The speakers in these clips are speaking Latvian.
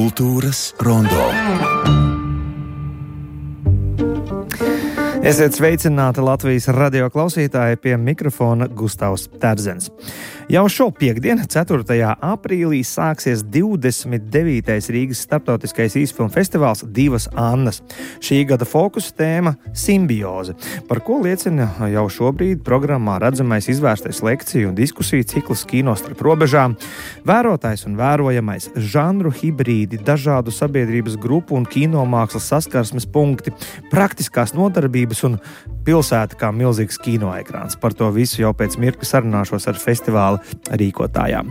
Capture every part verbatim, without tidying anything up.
Kultūras rondo. Esiet sveicināti Latvijas radio klausītāji, pie mikrofona Gustavs Terzens. Jau šo piekdienu, ceturtajā aprīlī, sāksies divdesmit devītais Rīgas starptautiskais īsfilmu festivāls Divas Annas. Šī gada fokusa tēma – simbioze, par ko liecina jau šobrīd programmā redzamais izvērstais lekciju un diskusiju cikls Kino starp robežām, vērotājs un vērojamais, žanru hibrīdi, dažādu sabiedrības grupu un kinomākslas saskarsmes punkti, praktiskās nodarbības un pilsēta kā milzīgs kinoekrāns. Par to visu jau pēc mirkļa sarunāšos ar festivāla rīkotājām.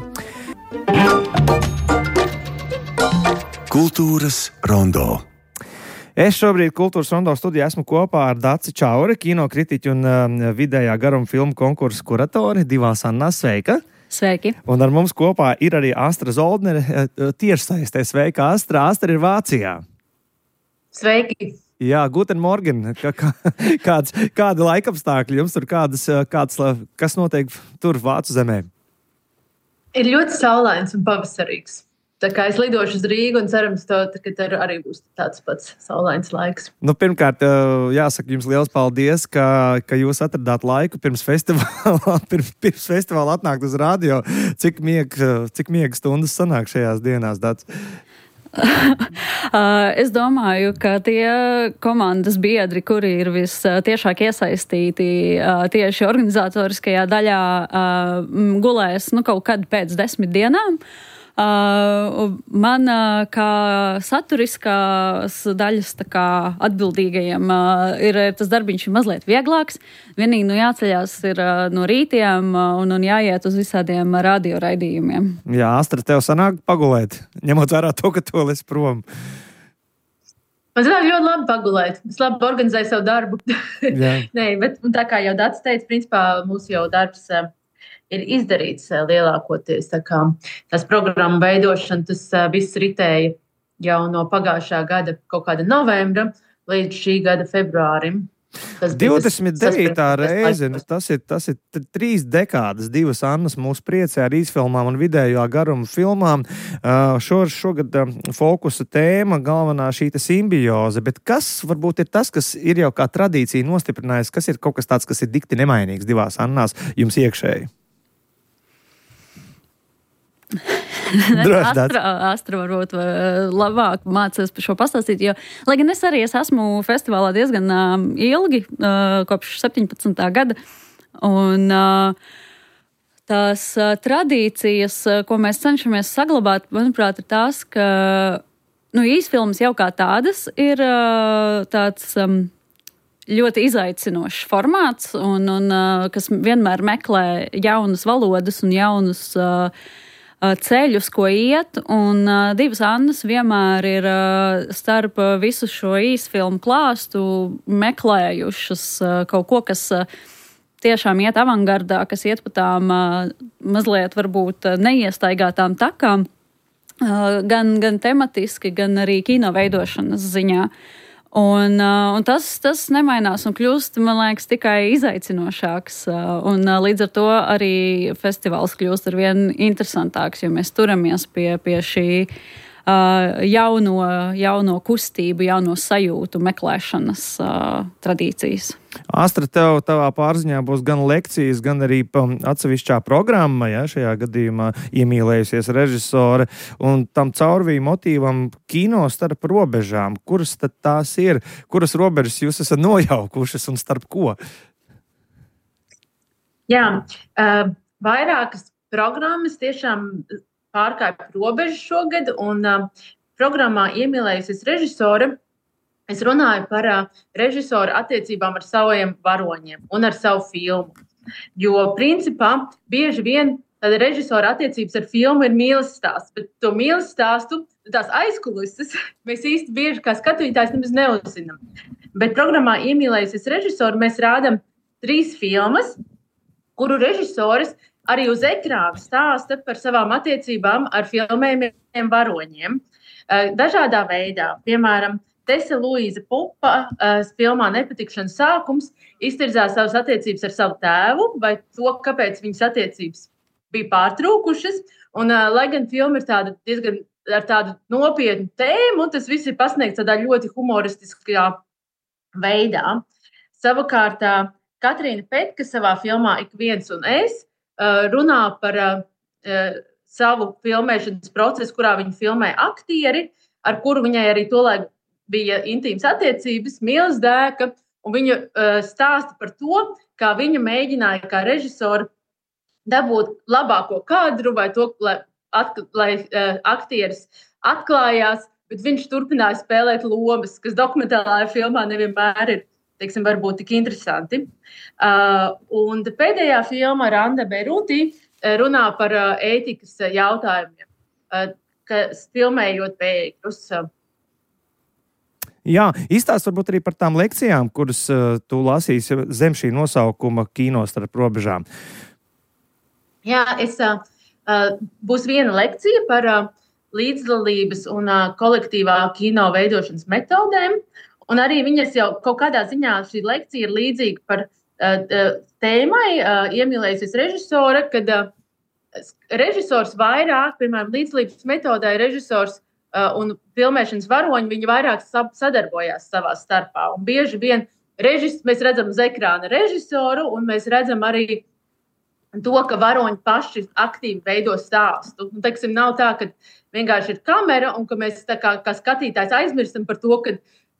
Kultūras rondo. Es šobrīd Kultūras rondo studijā esmu kopā ar Daci Čauri, kinokritiķu un uh, vidējā garuma filmu konkursu kuratori Divās Annās. Sveika! Sveiki! Un ar mums kopā ir arī Astra Zoldnere, uh, tiešsaistē. Sveika, Astra! Astra ir Vācijā. Sveiki! Jā, guten morgen. Kā, kā, kāds, kāda laikapstākļi jums tur, kādas, kāds, kas notiek tur Vācu zemē? Ir ļoti saulains un pavasarīgs. Tā kā es lidošu uz Rīgu un cerams, to, ka tur arī būs tāds pats saulains laiks. Nu, pirmkārt, jāsaka jums liels paldies, ka, ka jūs atradāt laiku pirms festivāla, pirms, pirms festivāla atnākt uz radio. Cik miega, cik miega stundas sanāk šajās dienās, Dats? Es domāju, ka tie komandas biedri, kuri ir vistiešāk iesaistīti tieši organizatoriskajā daļā, gulēs nu, kaut kad pēc desmit dienām. Man kā saturiskās daļas tā kā atbildīgajiem ir tas darbiņš ir mazliet vieglāks. Vienīgi nu jāceļās ir no rītiem un, un jāiet uz visādiem radioraidījumiem. Jā, Astra, tev sanāk pagulēt, ņemot vērā to, ka tu esi prom. Man sanāk ļoti labi pagulēt. Es labi organizēju savu darbu. Nē, bet tā kā jau Dats teica, principā mūsu jau darbs ir izdarīts lielākoties. Tā kā tās programmu veidošana, tas viss ritēja jau no pagājušā gada kaut kāda novembra līdz šī gada februārim. divdesmit devītā reize, tas ir, tas ir trīs dekādas, Divas Annas mūs priecē ar īsfilmām un vidējā garuma filmām. Šo, šogad fokusa tēma, galvenā šī simbioze, bet kas varbūt ir tas, kas ir jau kā tradīcija nostiprinājis, kas ir kaut kas tāds, kas ir dikti nemainīgs Divās Annās jums iekšēji? Astra, Astra varbūt labāk mācās par šo pastāstīt, jo, lai gan es arī es esmu festivālā diezgan uh, ilgi, uh, kopš septiņpadsmitā gada, un uh, tās uh, tradīcijas, uh, ko mēs cenšamies saglabāt, manuprāt, ir tās, ka nu, īsfilmas jau kā tādas ir uh, tāds um, ļoti izaicinošs formāts, un, un uh, kas vienmēr meklē jaunas valodas un jaunus uh, ceļus, ko iet, un uh, Divas Annas vienmēr ir uh, starp visu šo īsfilmu klāstu meklējušas uh, kaut ko, kas uh, tiešām iet avangardā, kas iet pa tām uh, mazliet varbūt neiestaigātām takām, uh, gan, gan tematiski, gan arī kino veidošanas ziņā. Un, uh, un tas, tas nemainās un kļūst, man liekas, tikai izaicinošāks. Uh, un uh, līdz ar to arī festivāls kļūst ar vien interesantāks, jo mēs turamies pie, pie šī uh, jauno, jauno kustību, jauno sajūtu meklēšanas uh, tradīcijas. Astra, tev tavā pārziņā būs gan lekcijas, gan arī atsevišķā programma, ja, šajā gadījumā iemīlējusies režisore, un tam caurvīja motīvam kino starp robežām. Kuras tad tās ir? Kuras robežas jūs esat nojaukušas un starp ko? Jā, uh, vairākas programmas tiešām pārkāpj robežas šogad, un uh, programmā iemīlējusies režisore. Es runāju par uh, režisoru attiecībām ar saviem varoņiem un ar savu filmu. Jo, principā, bieži vien tāda režisora attiecības ar filmu ir mīles stāsts, bet to mīles stāstu, tās aizkulises, mēs īsti bieži kā skatītājs nemaz neuzzinām. Bet programmā iemīlējusies režisoru mēs rādam trīs filmas, kuru režisores arī uz ekrāna stāsta par savām attiecībām ar filmējumiem varoņiem. Uh, dažādā veidā, piemēram, Tese Luīza Pupa uh, filmā Nepatikšanas sākums iztirzā savas attiecības ar savu tēvu vai to, kāpēc viņas attiecības bija pārtrūkušas. Un, uh, lai gan filma ir tāda diezgan ar tādu nopietnu tēmu, un tas viss ir pasniegts tādā ļoti humoristiskā veidā. Savukārt Katrīna Petka savā filmā Ik viens un es runā par savu filmēšanas procesu, kurā viņa filmē aktieri, ar kuru viņai arī tolaik bija intīmas attiecības, mīlas dēka, un viņa stāsta par to, kā viņa mēģināja kā režisora dabūt labāko kadru vai to, lai, atk- lai uh, aktieris atklājās, bet viņš turpināja spēlēt lomas, kas dokumentālajā filmā nevienmēr ir, teiksim, varbūt tik interesanti. Uh, un pēdējā filma Randa Beruti runā par uh, ētikas jautājumiem, uh, kas filmējot bēgļus. Jā, izstāst varbūt arī par tām lekcijām, kuras uh, tu lasīsi zem šī nosaukuma Kino starp robežām. Jā, es, uh, būs viena lekcija par uh, līdzdalības un uh, kolektīvā kino veidošanas metodēm. Un arī viņas jau kaut kādā ziņā šī lekcija ir līdzīga par uh, tēmai, uh, iemīlējusies režisora, kad uh, režisors vairāk, piemēram, līdzdalības metodē režisors uh, un filmēšanas varoņi, viņi vairāk sadarbojās savā starpā. Un bieži vien režis, mēs redzam uz ekrāna režisoru, un mēs redzam arī to, ka varoņi paši aktīvi veido stāstu. Un, teiksim, nav tā, ka vienkārši ir kamera un ka mēs tā kā, kā skatītājs aizmirstam par to, ka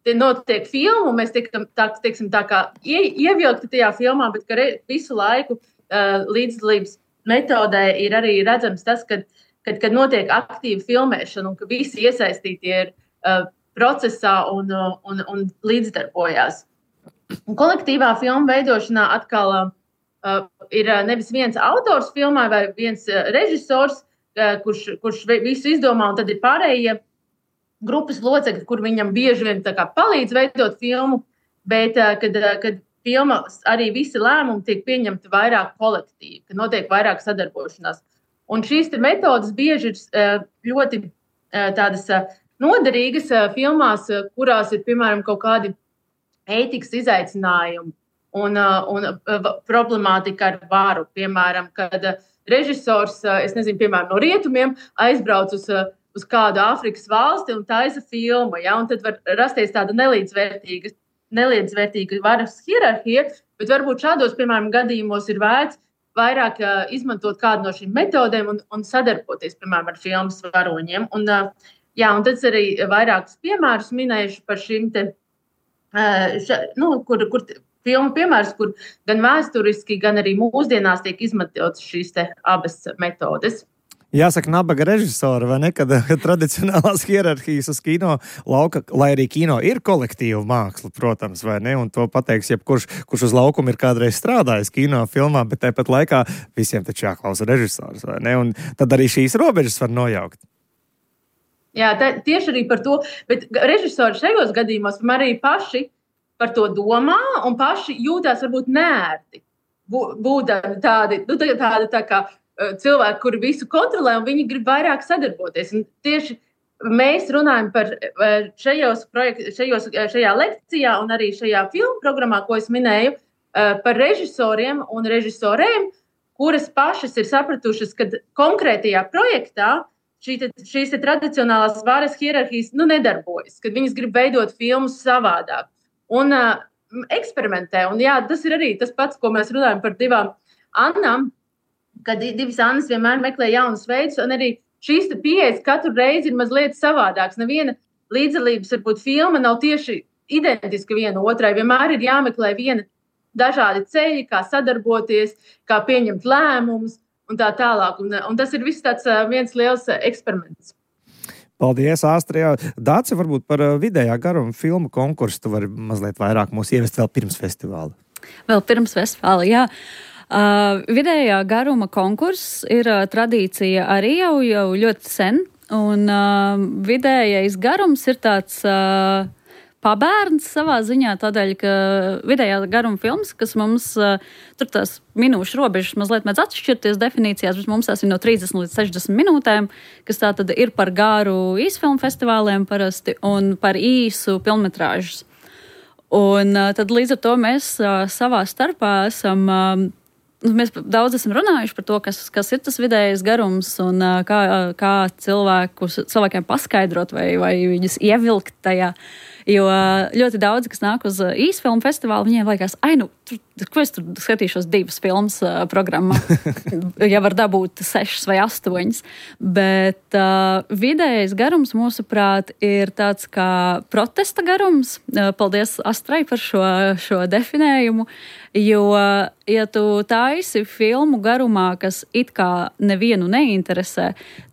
te notiek filma un mēs tiekam tā, teiksim, tā kā ie, ievilkti tajā filmā, bet ka re, visu laiku uh, līdzdalības metodē ir arī redzams tas, kad, kad, kad notiek aktīva filmēšana un ka visi iesaistītie ir uh, procesā un, uh, un, un līdzdarbojās. Un kolektīvā filmu veidošanā atkal uh, Uh, ir uh, nevis viens autors filmā vai viens uh, režisors, uh, kurš, kurš visu izdomā, un tad ir pārējie grupas locekļi, kur viņam bieži vien tā kā palīdz veidot filmu, bet uh, kad, uh, kad filma arī visi lēmumi tiek pieņemti vairāk kolektīvi, kad notiek vairāk sadarbošanās. Un šīs metodas bieži ir uh, ļoti uh, tādas uh, noderīgas uh, filmās, uh, kurās ir, piemēram, kaut kādi ētikas izaicinājumi. Un, un problemātika ar varu, piemēram, kad režisors, es nezinu, piemēram, no rietumiem aizbrauc uz, uz kādu Āfrikas valsti un taisa filmu, ja, un tad var rasties tāda nelīdzvērtīga, nelīdzvērtīga varas hierarhija, bet varbūt šādos, piemēram, gadījumos ir vērts vairāk izmantot kādu no šīm metodēm un, un sadarboties, piemēram, ar filmas varoņiem. Un, jā, un tad arī vairākus piemērus minējuši par šīm te, ša, nu, kur, kur filmu piemērs, kur gan vēsturiski, gan arī mūsdienās tiek izmantotas šīs te abas metodes. Jāsaka, nabaga režisora, vai ne, kad tradicionālās hierarhijas uz kino lauka, lai arī kino ir kolektīva māksla, protams, vai ne, un to pateiks jebkurš, kurš uz laukumu ir kādreiz strādājis kino filmā, bet tāpat laikā visiem taču jāklausa režisors, vai ne, un tad arī šīs robežas var nojaukt. Jā, tā, tieši arī par to, bet režisori šajos gadījumos arī paši par to domā un paši jūtās varbūt neērti. Būdami tādi, nu, tādi tā kā cilvēki, kuri visu kontrolē un viņi grib vairāk sadarboties. Un tieši mēs runājam par šajos projekt, šajos, šajā lekcijā un arī šajā filmu programmā, ko es minēju, par režisoriem un režisorēm, kuras pašas ir sapratušas, ka konkrētajā projektā šī te, šīs te tradicionālās varas hierarhijas nu, nedarbojas, kad viņas grib veidot filmus savādāk. Un uh, eksperimentē. Un, jā, tas ir arī tas pats, ko mēs runājam par divām Annām, kad divas Annas vienmēr meklē jaunus veidus, un arī šīs pieejas katru reizi ir mazliet savādāks. Neviena līdzdalības, varbūt, filma nav tieši identiska viena otrai. Vienmēr ir jāmeklē viena dažādi ceļi, kā sadarboties, kā pieņemt lēmumus un tā tālāk. Un, un tas ir viss tāds uh, viens liels uh, eksperiments. Paldies, Āstrija. Dāce, varbūt par vidējā garuma filmu konkursu tu vari mazliet vairāk mūs ievest vēl pirms festivāla. Vēl pirms festivāla, jā. Uh, vidējā garuma konkurss ir uh, tradīcija arī jau, jau ļoti sen, un uh, vidējais garums ir tāds uh, pabērns savā ziņā, tādēļ, ka vidējā garuma filmas, kas mums uh, tur tās minūšu robežas mazliet mēdz atšķirties definīcijās, bet mums tās ir no trīsdesmit līdz sešdesmit minūtēm, kas tā tad ir par garu īsfilmu festivāliem parasti un par īsu filmmetrāžas. Un uh, tad līdz ar to mēs uh, savā starpā esam uh, mēs daudz esam runājuši par to, kas, kas ir tas vidējais garums un kā, kā cilvēkus, cilvēkiem paskaidrot vai, vai viņus ievilkt tajā. Jo ļoti daudz, kas nāk uz īsfilmu festivālu, viņiem liekas, ai, nu, tur, ko es tur skatīšos divas filmas uh, programmā, ja var dabūt sešas vai astoņas. Bet uh, vidējais garums, mūsuprāt, ir tāds kā protesta garums. Uh, paldies Astrai par šo, šo definējumu. Jo, ja tu taisi filmu garumā, kas it kā nevienu neinteresē,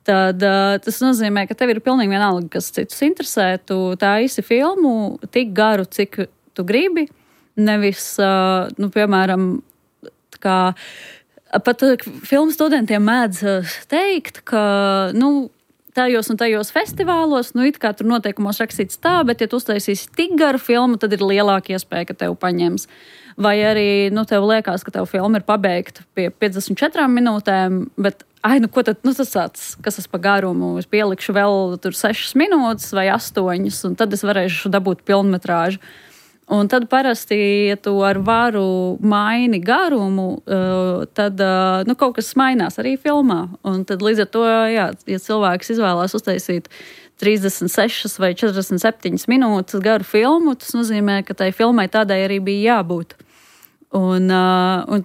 tad uh, tas nozīmē, ka tev ir pilnīgi vienalga, kas citus interesē. Tu taisi filmu tik garu, cik tu gribi. Nevis, uh, nu, piemēram, kā pat uh, filmu studentiem mēdz uh, teikt, ka, nu, tajos un tajos festivālos, nu, it kā tur noteikumos rakstīts tā, bet, ja tu uztaisīsi tik garu filmu, tad ir lielāka iespēja, ka tev paņems. Vai arī, nu, tev liekas, ka tev filma ir pabeigta pie piecdesmit četrām minūtēm, bet, ai, nu, ko tad, nu, tas tāds, kas es pa garumu, es pielikšu vēl tur sešas minūtes vai astoņas, un tad es varēšu dabūt pilnmetrāžu. Un tad parasti, ja tu ar varu maini garumu, tad, nu, kaut kas mainās arī filmā. Un tad līdz ar to, jā, ja cilvēks izvēlās uztaisīt trīsdesmit sešas vai četrdesmit septiņas minūtes garu filmu, tas nozīmē, ka tai filmai tādai arī bija jābūt. Un, un,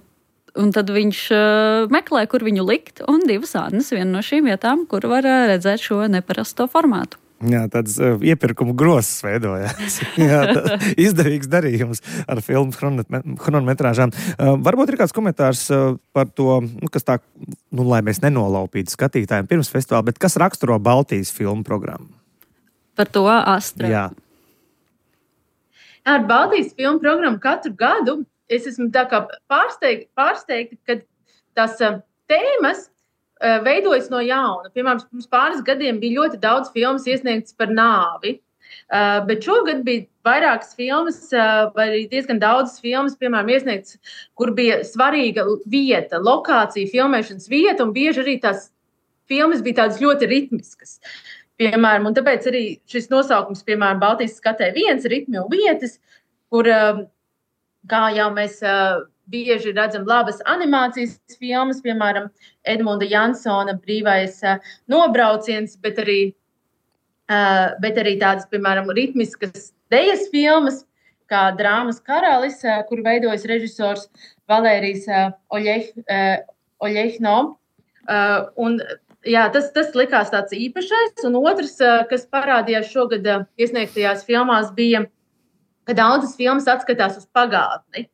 un tad viņš meklē, kur viņu likt, un divas ādnes viena no šīm vietām, kur var redzēt šo neparasto formātu. Jā, tāds uh, iepirkumu grozs veidojās. Jā, izdevīgs darījums ar filmu chronometrāžām. Uh, varbūt ir kāds komentārs uh, par to, nu, kas tā, nu, lai mēs nenolaupītu skatītājiem pirms festivāla, bet kas raksturo Baltijas filmu programmu? Par to Astra. Jā. Ar Baltijas filmu programmu katru gadu es esmu tā kā pārsteigta, pārsteigta ka tās uh, tēmas veidojas no jauna. Piemēram, pirms pāris gadiem bija ļoti daudz filmas iesniegtas par nāvi, uh, bet šogad bija vairākas filmas, uh, vai arī diezgan daudzas filmas, piemēram, iesniegtas, kur bija svarīga vieta, lokācija, filmēšanas vieta, un bieži arī tās filmas bija tādas ļoti ritmiskas. Piemēram, un tāpēc arī šis nosaukums, piemēram, Baltijas skatē viens, ritmi un vietas, kur, uh, kā jau mēs uh, bieži redzam labas animācijas filmas, piemēram, Edmunda Jansona brīvais uh, nobrauciens, bet arī, uh, bet arī tādas, piemēram, ritmiskas dejas filmas, kā Drāmas karalis, uh, kur veidojas režisors Valērijs uh, Oļeh, uh, Oļehno. Uh, un, jā, tas, tas likās tāds īpašais. Un otrs, uh, kas parādījās šogad uh, iesniegtajās filmās, bija, ka daudzas filmas atskatās uz pagātni.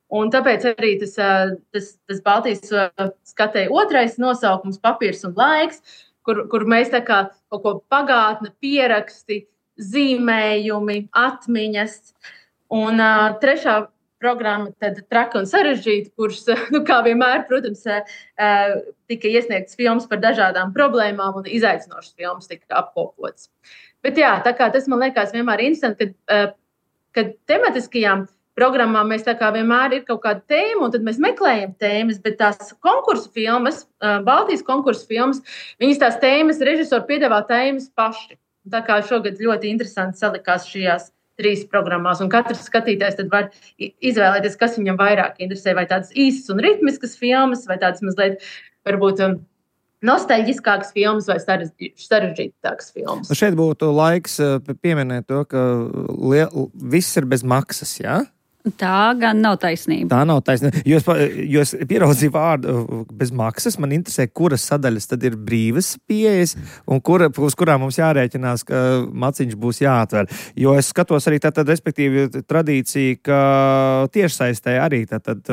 Un tāpēc arī tas, tas, tas Baltijas skatēja otrais nosaukums, papīrs un laiks, kur, kur mēs tā kā kaut ko pagātne, pieraksti, zīmējumi, atmiņas. Un uh, trešā programma tad traka un sarežģīta, kurš, nu, kā vienmēr, protams, uh, tika iesniegts filmas par dažādām problēmām un izaicinošas filmas tika apkopotas. Bet jā, tā kā tas man liekas vienmēr interesanti, kad, uh, kad tematiskajām programmā mēs tā kā vienmēr ir kaut kāda tēma, un tad mēs meklējam tēmas, bet tās konkursu filmas, Baltijas konkursu filmas, viņas tās tēmas, režisori piedāvā tēmas paši. Tā kā šogad ļoti interesanti salikās šajās trīs programmās, un katrs skatītājs tad var izvēlēties, kas viņam vairāk interesē, vai tādas īsas un ritmiskas filmas, vai tādas mazliet, varbūt, nostalģiskākas filmas vai sarežģītākas filmas. Šeit būtu laiks pieminēt to, ka liel, viss ir bez maksas, jā? Tā gan nav taisnība. Tā nav taisnība. Jo es, jo es pieraudzīju vārdu bez maksas, man interesē, kuras sadaļas tad ir brīvas pieejas un kura, uz kurām mums jārēķinās, ka maciņš būs jāatver. Jo es skatos arī tātad, respektīvi, tradīciju, ka tiešsaistē arī tātad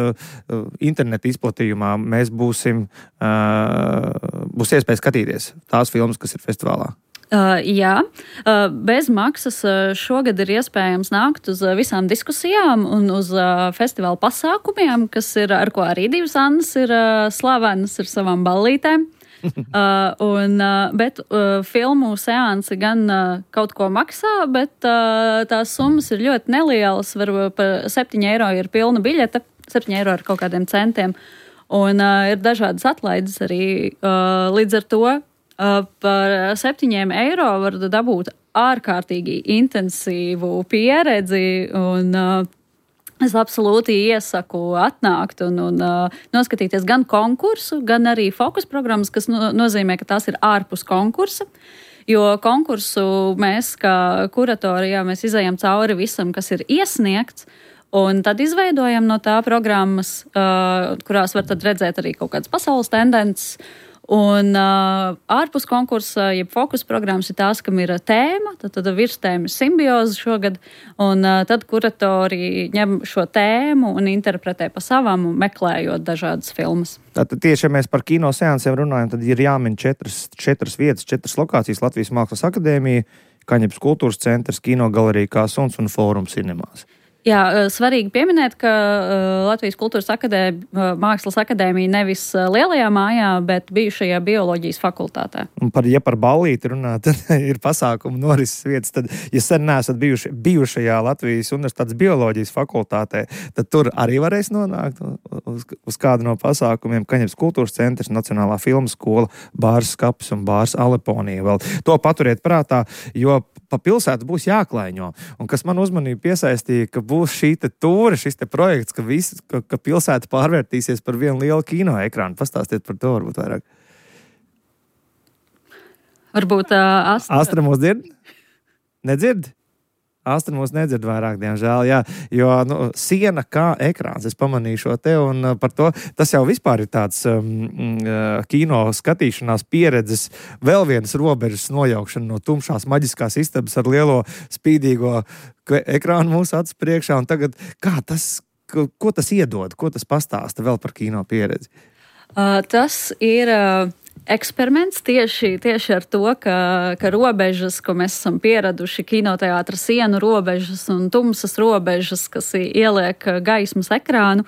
interneta izplatījumā mēs būsim, būs iespēja skatīties tās filmas, kas ir festivālā. Uh, jā, uh, bez maksas uh, šogad ir iespējams nākt uz uh, visām diskusijām un uz uh, festivāla pasākumiem, kas ir, ar ko arī divas Annas ir uh, slavenas ar savām ballītēm. uh, un, uh, bet uh, filmu seansi gan uh, kaut ko maksā, bet uh, tās summas ir ļoti nelielas. Var par septiņi eiro ir pilna biļete, septiņi eiro ar kaut kādiem centiem. Un uh, ir dažādas atlaides arī uh, līdz ar to. Uh, par septiņiem eiro var dabūt ārkārtīgi intensīvu pieredzi un uh, Es absolūti iesaku atnākt un, un uh, noskatīties gan konkursu, gan arī fokus programmas, kas no, nozīmē, ka tās ir ārpus konkursa. Jo konkursu mēs, kā kuratori, jā, mēs izējam cauri visam, kas ir iesniegts, un tad izveidojam no tā programmas, uh, kurās var tad redzēt arī kaut kādas pasaules tendences. Un uh, ārpus konkursa, jeb fokus programmas ir tās, kam ir tēma, tad, tad virstēma ir simbioze šogad, un uh, tad kuratori ņem šo tēmu un interpretē pa savam, meklējot dažādas filmas. Tātad tieši, ja mēs par kino seansiem runājam, tad ir jāmin četras, četras vietas, četras lokācijas: Latvijas Mākslas akadēmija, Kaņepes kultūras centrs, kino galerija Kā suns un Fórums cinemās. Jā, svarīgi pieminēt, ka Latvijas kultūras akadēmija, Mākslas akadēmija nevis lielajā mājā, bet bijušajā bioloģijas fakultātē. Un par, ja par ballīti runā, tad ir pasākumu norises vietas. Tad, ja sen neesat bijuši bijušajā Latvijas Universitātes bioloģijas fakultātē, tad tur arī varēs nonākt uz, uz kādu no pasākumiem. Kaņepes kultūras centrs, Nacionālā filmu skola, Bārs Skapis un Bārs Aleponija. Vēl to paturiet prātā, jo pa pilsētu būs jāklaiņo. Un kas man uzmanību piesaistīja, ka būs šī te tūre, šis te projekts, ka, visi, ka, ka pilsēta pārvērtīsies par vienu lielu kino ekrānu. Pastāstiet par to varbūt vairāk. Varbūt uh, Astra... Astra mūs dzird? Nedzird? Astra mūs nedzird vairāk, diemžēl, jā, jo nu, siena kā ekrāns, es pamanīju šo te, un par to, tas jau vispār ir tāds um, kino skatīšanās pieredzes, vēl vienas robežas nojaukšana no tumšās maģiskās istabas ar lielo spīdīgo ekrānu mūsu acu priekšā, un tagad, kā tas, ko, ko tas iedod, ko tas pastāsta vēl par kino pieredzi? Uh, tas ir... Uh... Eksperiments tieši, tieši ar to, ka, ka robežas, ko mēs esam pieraduši, kinoteātra sienu robežas un tumsas robežas, kas ieliek gaismas ekrānu,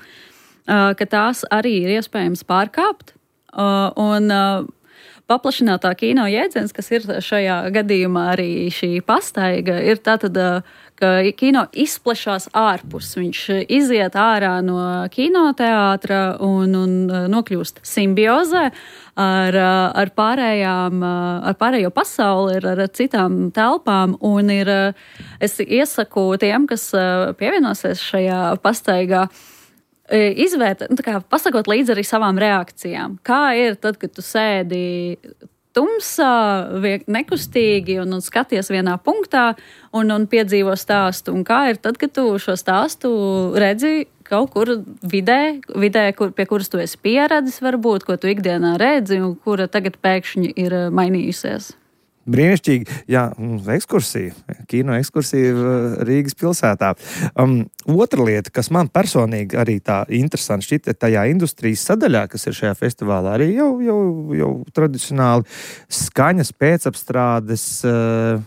ka tās arī ir iespējams pārkāpt. Un paplašinātā kino jēdziens, kas ir šajā gadījumā arī šī pastaiga, ir tātad, ka kino izplešās ārpus. Viņš iziet ārā no kinoteātra un, un nokļūst simbiozē ar, ar, pārējām, ar pārējo pasauli, ar, ar citām telpām. Un ir, es iesaku tiem, kas pievienosies šajā pastaigā, izvērtēt, nu, tā kā pasakot līdzi arī savām reakcijām. Kā ir tad, kad tu sēdi tumsā, nekustīgi un, un skaties vienā punktā un, un piedzīvo stāstu. Un kā ir tad, kad tu šo stāstu redzi kaut kur vidē, vidē kur, pie kuras tu esi pieredzis varbūt, ko tu ikdienā redzi un kura tagad pēkšņi ir mainījusies. Brīnišķīgi, jā, ekskursija, kino ekskursija Rīgas pilsētā. Um, otra lieta, kas man personīgi arī tā interesanti šķita tajā industrijas sadaļā, kas ir šajā festivālā, arī jau, jau, jau tradicionāli skaņas pēcapstrādes uh,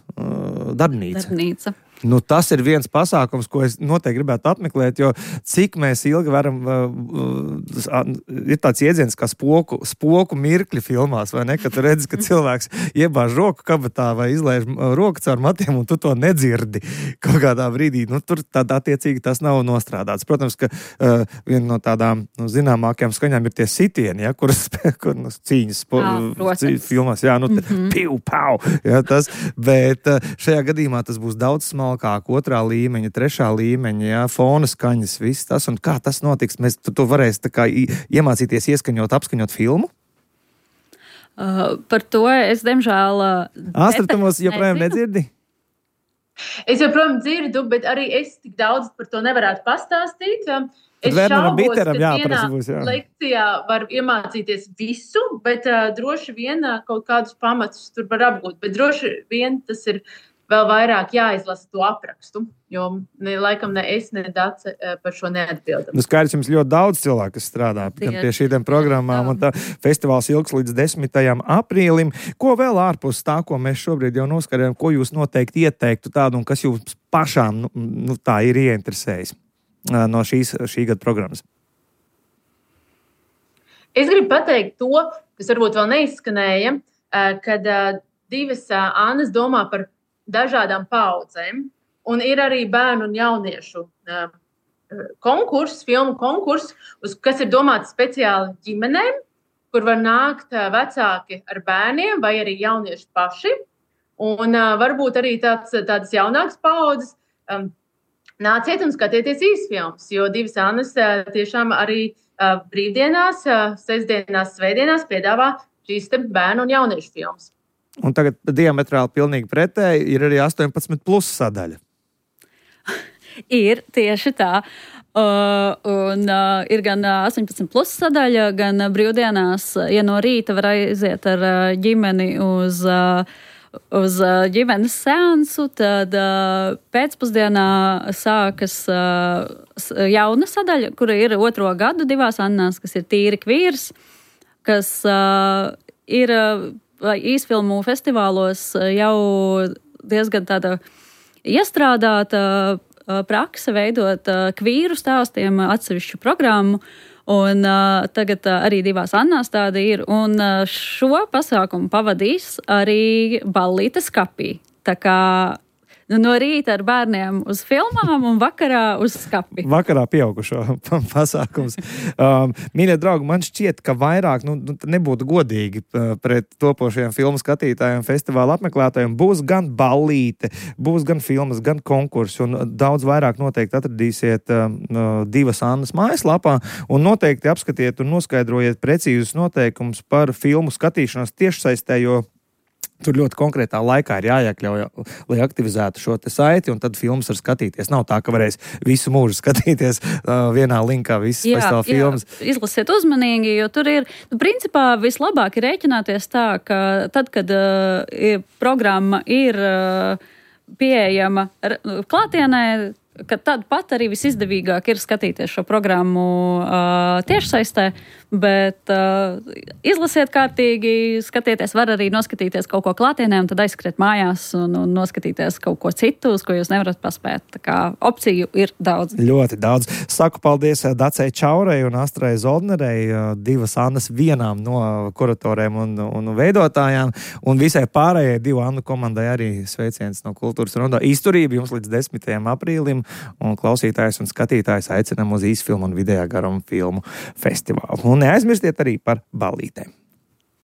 darbnīca. Darbnīca. Nu, tas ir viens pasākums, ko es noteikti gribētu apmeklēt, jo cik mēs ilgi varam, uh, ir tāds iedziens kā spoku, spoku mirkļi filmās, vai ne, ka tu redzi, ka cilvēks iebāž roku kabatā vai izlaiž roku caur matiem, un tu to nedzirdi kaut kādā brīdī. Nu, tur tādā attiecīgi tas nav nostrādāts. Protams, ka uh, viena no tādām nu, zināmākajām skaņām ir tie sitieni, ja, kuras kur, nu, cīņas spo, jā, filmās, jā, nu, mm-hmm. piu, pau, ja, tas, bet uh, šajā gadījumā tas būs daudz smalkāk. Kā otrā līmeņa, trešā līmeņa, jā, fona skaņas, viss tas, un kā tas notiks? Mēs tu, tu varēsi tā kā iemācīties ieskaņot, apskaņot filmu? Uh, par to es, diemžēl... Uh, Astra, tu mūs joprojām nedzirdi? Es joprojām dzirdu, bet arī es tik daudz par to nevarētu pastāstīt. Es šaubos, biteram, ka vienā būs, jā. lekcijā var iemācīties visu, bet uh, droši vien uh, kaut kādus pamatus tur var apgūt. Bet droši vien tas ir vēl vairāk jāizlasa to aprakstu, jo ne, laikam ne es, ne Dace par šo neatbildam. Nu, skaidrs, jums ļoti daudz cilvēku, kas strādā pie šīm programmām, un tā festivāls ilgs līdz desmitajam aprīlim. Ko vēl ārpus tā, ko mēs šobrīd jau noskarējam, ko jūs noteikti ieteiktu tādu, un kas jums pašām nu, nu, tā ir ieinteresējis no šīs, šī gada programmas? Es gribu pateikt to, kas varbūt vēl neizskanēja, kad divas Annas domā par dažādām paudzēm, un ir arī bērnu un jauniešu uh, konkurss, filmu konkurss, kas ir domāts speciāli ģimenēm, kur var nākt uh, vecāki ar bērniem vai arī jaunieši paši, un uh, varbūt arī tāds, tādas jaunākas paudzes. Um, nāciet un skatieties īsfilmas, jo divas Annas tiešām arī brīvdienās, sestdienās, svētdienās piedāvā šīs te bērnu un jauniešu filmas. Un tagad diametrāli pilnīgi pretēji ir arī astoņpadsmit plus sadaļa. Ir tieši tā. Uh, un uh, ir gan astoņpadsmit plus sadaļa, gan brīvdienās, ja no rīta var aiziet ar uh, ģimeni uz, uh, uz uh, ģimenes seansu, tad uh, pēcpusdienā sākas uh, jauna sadaļa, kura ir otro gadu divās Annās, kas ir tīri kvīrs, kas uh, ir uh, īsfilmu festivālos jau diezgan tāda iestrādāta prakse veidot uh, kvīru stāstiem atsevišķu programmu, un uh, tagad uh, arī divās Annās tāda ir, un uh, šo pasākumu pavadīs arī Ballīte skapī. Tā kā nu, no rīta ar bērniem uz filmām un vakarā uz skapi. Vakarā pieaugušo pasākums. Um, mīļie draugi, man šķiet, ka vairāk nu, nebūtu godīgi pret topošajiem filmu skatītājiem, festivāla apmeklētājiem. Būs gan ballīte, būs gan filmas, gan konkursi, un daudz vairāk noteikti atradīsiet uh, divas Annas mājaslapā, un noteikti apskatiet un noskaidrojiet precīzus noteikumus par filmu skatīšanos tiešsaistē, jo tur ļoti konkrētā laikā ir jāiekļauj, lai aktivizētu šo te saiti, un tad filmas var skatīties. Nav tā, ka varēs visu mūžu skatīties uh, vienā linkā visas festivāla filmas. Jā, izlasiet uzmanīgi, jo tur ir, nu, principā vislabāk ir rēķināties tā, ka tad, kad uh, programma ir uh, pieejama klātienē, ka tad pat arī visizdevīgāk ir skatīties šo programmu uh, tiešsaistē, bet uh, izlasiet kārtīgi, skatieties, var arī noskatīties kaut ko klātienē un tad aizskriet mājās un, un noskatīties kaut ko citu, uz ko jūs nevarat paspēt. Tā kā opciju ir daudz. Ļoti daudz. Saku paldies Dacei Čaurei un Astrai Zoldnerei, divas Annas vienām no kuratoriem un, un veidotājām, un visai pārējai divu Annu komandai arī sveiciens no Kultūras Rondo. Izturība jums līdz desmitajam aprīlim, un klausītājs un skatītājs aicinam uz īsfilmu un vidējā garuma filmu festivālu. Un neaizmirstiet arī par ballītēm.